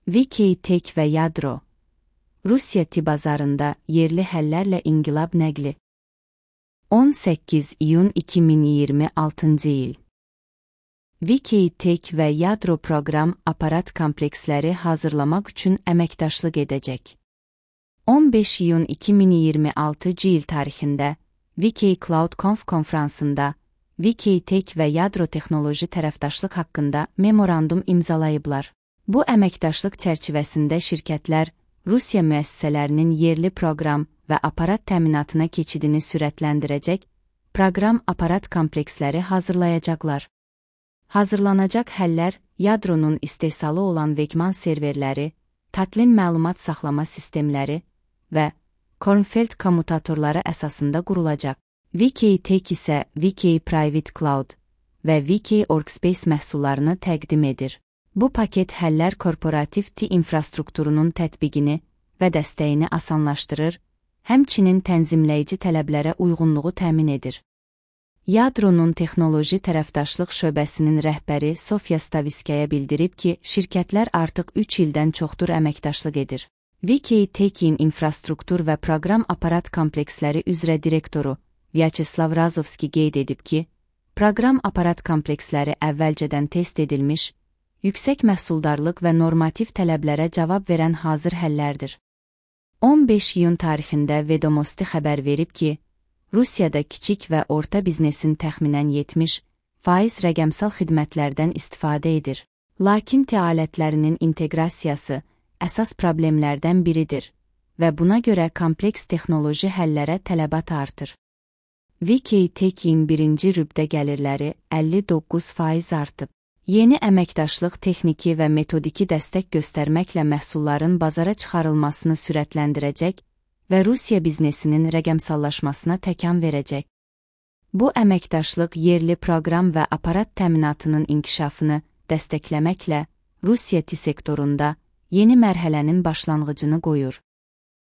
VK-Tech və Yadro. Rusiya bazarında yerli həllərlə inqilab nəqli. 18 iyun 2026 il. VK-Tech və Yadro proqram aparat kompleksləri hazırlamaq üçün əməkdaşlıq edəcək. 15 iyun 2026 il tarixində VK Cloud Conf konfransında VK-Tech və Yadro texnoloji tərəfdaşlıq haqqında memorandum imzalayıblar. Bu əməkdaşlıq çərçivəsində şirkətlər Rusiya müəssisələrinin yerli proqram və aparat təminatına keçidini sürətləndirəcək, proqram aparat kompleksləri hazırlayacaqlar. Hazırlanacaq həllər Yadronun istehsalı olan Wegmann serverləri, Tatlin məlumat saxlama sistemləri və Kornfeld kommutatorları əsasında qurulacaq. VK-Tech isə VK Private Cloud və VK Workspace məhsullarını təqdim edir. Bu paket həllər korporativ TI infrastrukturunun tətbiqini və dəstəyini asanlaşdırır, həmçinin tənzimləyici tələblərə uyğunluğu təmin edir. Yadronun texnoloji tərəfdaşlıq şöbəsinin rəhbəri Sofya Staviskaya bildirib ki, şirkətlər artıq 3 ildən çoxdur əməkdaşlıq edir. VK-Tech'in infrastruktur və proqram aparat kompleksləri üzrə direktoru Vyacheslav Razovski qeyd edib ki, proqram aparat kompleksləri əvvəlcədən test edilmiş, yüksək məhsuldarlıq və normativ tələblərə cavab verən hazır həllərdir. 15 iyun tarixində Vedomosti xəbər verib ki, Rusiyada kiçik və orta biznesin təxminən 70% rəqəmsal xidmətlərdən istifadə edir. Lakin TI alətlərinin inteqrasiyası əsas problemlərdən biridir və buna görə kompleks texnoloji həllərə tələbat artır. VK-Tech'in birinci rübdə gəlirləri 59% artıb. Yeni əməkdaşlıq texniki və metodiki dəstək göstərməklə məhsulların bazara çıxarılmasını sürətləndirəcək və Rusiya biznesinin rəqəmsallaşmasına təkan verəcək. Bu əməkdaşlıq yerli proqram və aparat təminatının inkişafını dəstəkləməklə Rusiya TI sektorunda yeni mərhələnin başlanğıcını qoyur.